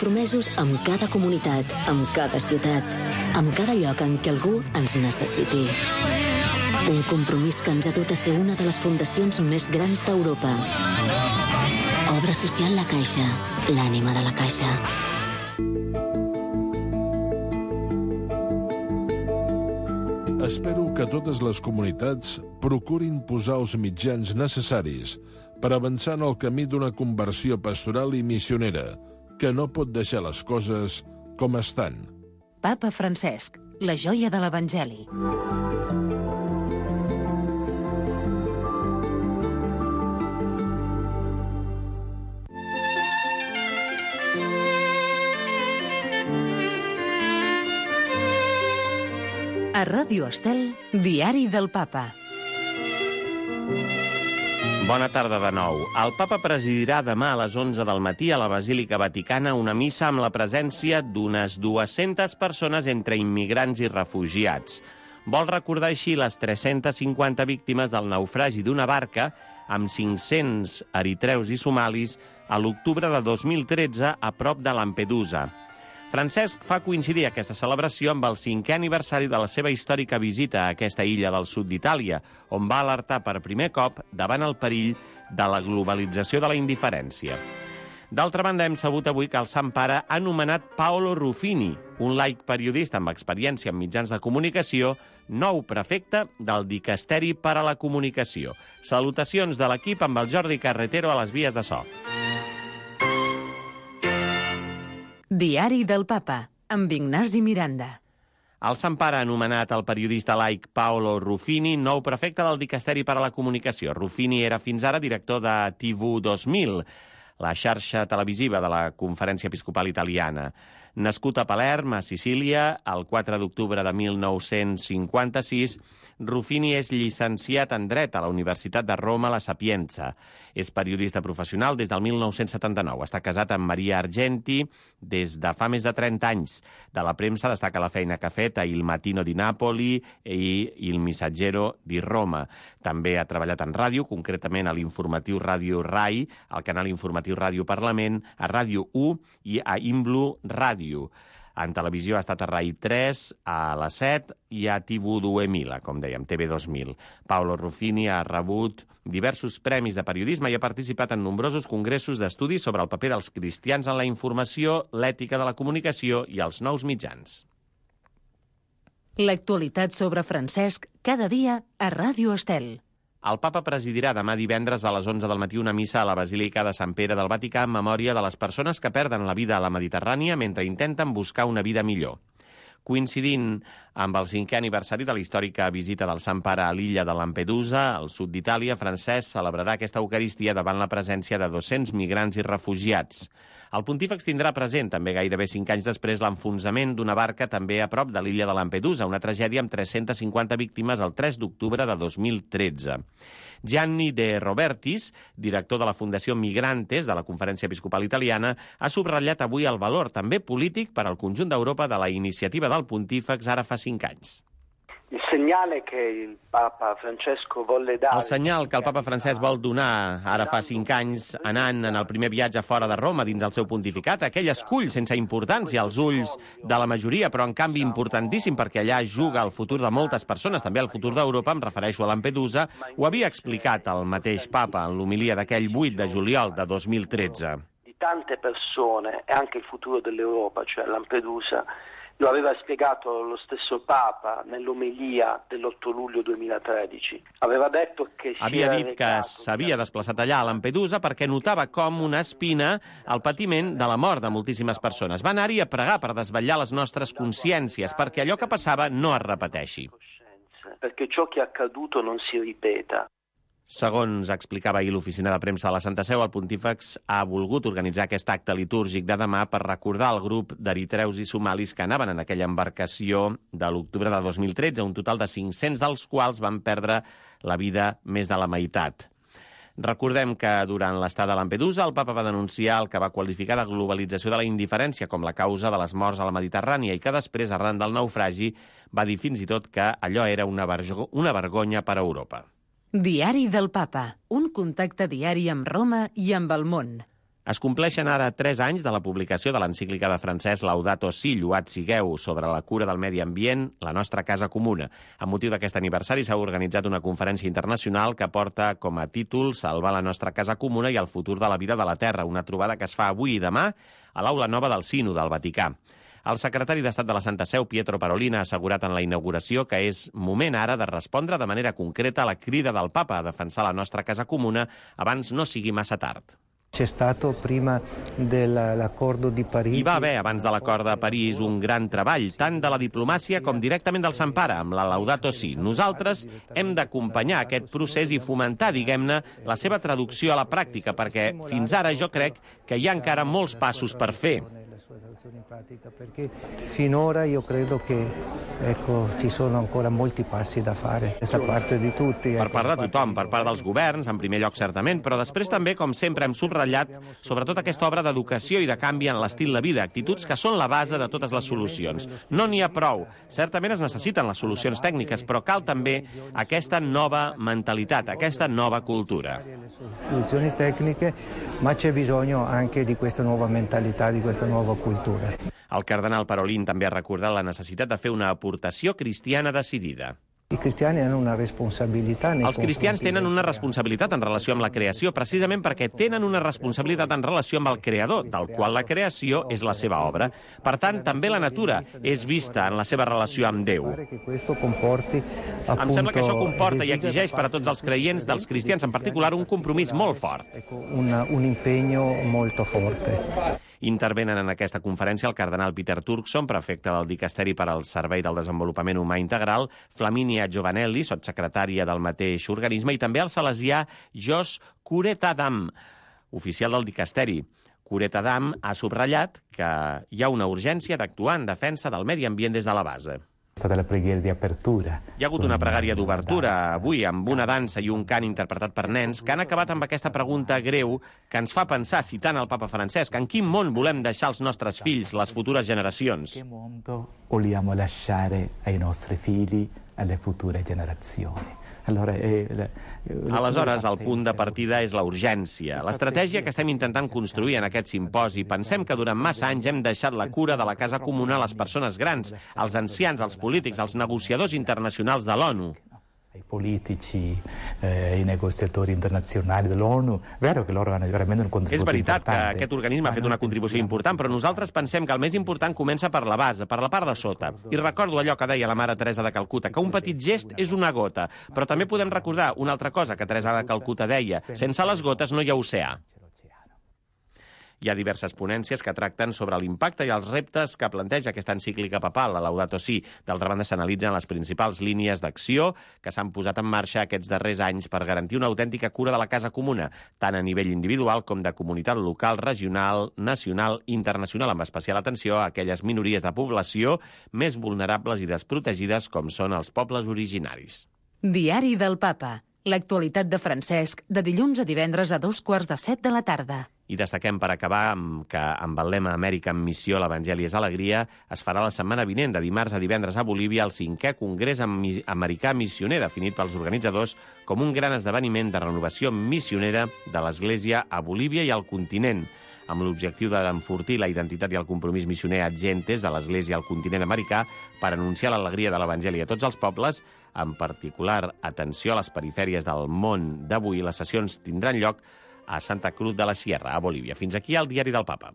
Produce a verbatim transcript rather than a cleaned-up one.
compromesos amb cada comunitat, amb cada ciutat, amb cada lloc en què algú ens necessiti. Un compromís que ens ha dut a ser una de les fundacions més grans d'Europa. Obra social La Caixa, l'ànima de la Caixa. Espero que totes les comunitats procurin posar els mitjans necessaris per avançar en el camí d'una conversió pastoral i missionera, que no pot deixar les coses com estan. Papa Francesc, la joia de l'Evangeli. A Ràdio Estel, Diari del Papa. Bona tarda de nou. El Papa presidirà demà a les onze del matí a la Basílica Vaticana una missa amb la presència d'unes dues-centes persones entre immigrants i refugiats. Vol recordar així les tres-centes cinquanta víctimes del naufragi d'una barca amb cinc-cents eritreus i somalis a l'octubre de dos mil tretze a prop de Lampedusa. Francesc fa coincidir aquesta celebració amb el cinquè aniversari de la seva històrica visita a aquesta illa del sud d'Itàlia, on va alertar per primer cop davant el perill de la globalització de la indiferència. D'altra banda, hem sabut avui que el Sant Pare ha nomenat Paolo Ruffini, un laic periodista amb experiència en mitjans de comunicació, nou prefecte del Dicasteri per a la Comunicació. Salutacions de l'equip amb el Jordi Carretero a les vies de so. Diari del Papa, amb Ignasi Miranda. El Sant Pare ha anomenat el periodista laic Paolo Ruffini nou prefecte del Dicasteri per a la Comunicació. Ruffini era fins ara director de T V dos mil, la xarxa televisiva de la Conferència Episcopal Italiana. Nascut a Palerm, a Sicília, el quatre d'octubre de mil nou-cents cinquanta-sis, Ruffini és llicenciat en Dret a la Universitat de Roma La Sapienza. És periodista professional des del mil nou-cents setanta-nou. Està casat amb Maria Argenti des de fa més de trenta anys. De la premsa destaca la feina que ha fet a Il Mattino di Napoli i Il Messaggero di Roma. També ha treballat en ràdio, concretament a l'informatiu Ràdio Rai, al canal informatiu Ràdio Parlament, a Ràdio u i a Imblu Ràdio. En televisió ha estat a Rai tres, a la set i a T V dos mil, com dèiem, T V dos mil. Paolo Ruffini ha rebut diversos premis de periodisme i ha participat en nombrosos congressos d'estudis sobre el paper dels cristians en la informació, l'ètica de la comunicació i els nous mitjans. L'actualitat sobre Francesc cada dia a Ràdio Estel. El Papa presidirà demà divendres a les onze del matí una missa a la Basílica de Sant Pere del Vaticà en memòria de les persones que perden la vida a la Mediterrània mentre intenten buscar una vida millor. Coincidint amb el cinquè aniversari de la històrica visita del Sant Pare a l'illa de Lampedusa, al sud d'Itàlia, Francesc celebrarà aquesta Eucaristia davant la presència de dos-cents migrants i refugiats. El pontífex tindrà present, també gairebé cinc anys després, l'enfonsament d'una barca també a prop de l'illa de Lampedusa, una tragèdia amb tres-centes cinquanta víctimes el tres d'octubre de dos mil tretze. Gianni De Robertis, director de la Fundació Migrantes de la Conferència Episcopal Italiana, ha subratllat avui el valor també polític per al conjunt d'Europa de la iniciativa del pontífex ara fa cinc anys. Il segnale che il Papa Francesco volle dare... El senyal que el Papa Francesc vol donar ara fa cinc anys, anant en el primer viatge fora de Roma dins el seu pontificat, aquell escull sense importància als ulls de la majoria, però en canvi importantíssim perquè allà juga el futur de moltes persones, també el futur d'Europa, em refereixo a Lampedusa, ho havia explicat el mateix Papa en l'homilia d'aquell vuit de juliol de dos mil tretze. Di tante persone e anche il futuro dell'Europa, cioè Lampedusa, lo aveva spiegato lo stesso Papa nell'omelia dell'otto luglio duemilatredici. Aveva detto che si Havia dit que s'havia desplaçat allà a Lampedusa perquè notava com una espina el patiment de la mort de moltíssimes persones. Va anar-hi a pregar per desvetllar les nostres consciències, perquè allò que passava no es repeteixi. Perché ciò che è accaduto non si ripeta. Segons explicava ahir l'oficina de premsa de la Santa Seu, el pontífex ha volgut organitzar aquest acte litúrgic de demà per recordar el grup d'eritreus i somalis que anaven en aquella embarcació de l'octubre de dos mil tretze, un total de cinc-cents dels quals van perdre la vida més de la meitat. Recordem que durant l'estada a Lampedusa el Papa va denunciar el que va qualificar de globalització de la indiferència com la causa de les morts a la Mediterrània i que després, arran del naufragi, va dir fins i tot que allò era una, vergo- una vergonya per a Europa. Diari del Papa, un contacte diari amb Roma i amb el món. Es compleixen ara tres anys de la publicació de l'encíclica de Francesc Laudato Si, Lloat sigueu, sobre la cura del medi ambient, la nostra casa comuna. Amb motiu d'aquest aniversari s'ha organitzat una conferència internacional que porta com a títol Salvar la nostra casa comuna i el futur de la vida de la Terra, una trobada que es fa avui i demà a l'Aula Nova del Sínode del Vaticà. El secretari d'Estat de la Santa Seu, Pietro Parolin, ha assegurat en la inauguració que és moment ara de respondre de manera concreta a la crida del Papa a defensar la nostra casa comuna abans no sigui massa tard. C'è stato prima dell'accordo di Parigi. Hi va haver, abans de l'acord de París, un gran treball, tant de la diplomàcia com directament del Sant Pare, amb la Laudato Si. Nosaltres hem d'acompanyar aquest procés i fomentar, diguem-ne, la seva traducció a la pràctica, perquè fins ara jo crec que hi ha encara molts passos per fer. In pratica, perché finora io credo che ecco, ci sono ancora molti passi da fare da parte di tutti. Per part de tothom, per part dels governs, en primer lloc certament, però després també, com sempre hem subratllat, sobretot aquesta obra d'educació i de canvi en l'estil de vida, actituds que són la base de totes les solucions. No n'hi ha prou. Certament es necessiten les solucions tècniques, però cal també aquesta nova mentalitat, aquesta nova cultura. Soluzioni tecniche, ma c'è bisogno anche di questa nuova mentalità, di questa nuova cultura. El cardenal Parolin també ha recordat la necessitat de fer una aportació cristiana decidida. I cristiani hanno una responsabilità. Els cristians tenen una responsabilitat en relació amb la creació, precisament perquè tenen una responsabilitat en relació amb el creador, del qual la creació és la seva obra. Per tant, també la natura és vista en la seva relació amb Déu. Em sembla que això comporta i exigeix per a tots els creients, dels cristians en particular, un compromís molt fort. Un impegno molto forte. Intervenen en aquesta conferència el cardenal Peter Turkson, prefecte del Dicasteri per al Servei del Desenvolupament Humà Integral, Flaminia Giovanelli, sotssecretària del mateix organisme, i també el salesià Jos Curetadam, oficial del Dicasteri. Curetadam ha subratllat que hi ha una urgència d'actuar en defensa del medi ambient des de la base. Hi ha hagut una pregària d'obertura avui amb una dansa i un cant interpretat per nens que han acabat amb aquesta pregunta greu que ens fa pensar, citant el papa Francesc, en quin món volem deixar als nostres fills, les futures generacions. Che mondo vogliamo lasciare ai nostri figli, alle future generazioni? Allora, eh, Aleshores, el punt de partida és la urgència. L'estratègia que estem intentant construir en aquest simposi, pensem que durant massa anys hem deixat la cura de la casa comuna a les persones grans, als ancians, als polítics, als negociadors internacionals de l'ONU. I politici, eh, i negoziatori internazionali dell'ONU, vero che loro hanno veramente un contributo És veritat importante. que aquest organisme ha fet una contribució important, però nosaltres pensem que el més important comença per la base, per la part de sota. I recordo allò que deia la mare Teresa de Calcuta, que un petit gest és una gota, però també podem recordar una altra cosa que Teresa de Calcuta deia, sense les gotes no hi ha oceà. Hi ha diverses ponències que tracten sobre l'impacte i els reptes que planteja aquesta encíclica papal, la Laudato Si. D'altra banda, s'analitzen les principals línies d'acció que s'han posat en marxa aquests darrers anys per garantir una autèntica cura de la casa comuna, tant a nivell individual com de comunitat local, regional, nacional i internacional, amb especial atenció a aquelles minories de població més vulnerables i desprotegides com són els pobles originaris. Diari del Papa. L'actualitat de Francesc, de dilluns a divendres a dos quarts de set de la tarda. I destaquem per acabar amb que amb el lema Amèrica en missió, l'Evangeli és alegria, es farà la setmana vinent, de dimarts a divendres a Bolívia, el cinquè Congrés Americà Missioner, definit pels organitzadors com un gran esdeveniment de renovació missionera de l'Església a Bolívia i al continent, amb l'objectiu d'enfortir la identitat i el compromís missioner ad gentes de l'Església al continent americà per anunciar l'alegria de l'Evangeli a tots els pobles, en particular atenció a les perifèries del món d'avui. Les sessions tindran lloc a Santa Cruz de la Sierra, a Bolívia. Fins aquí el Diari del Papa.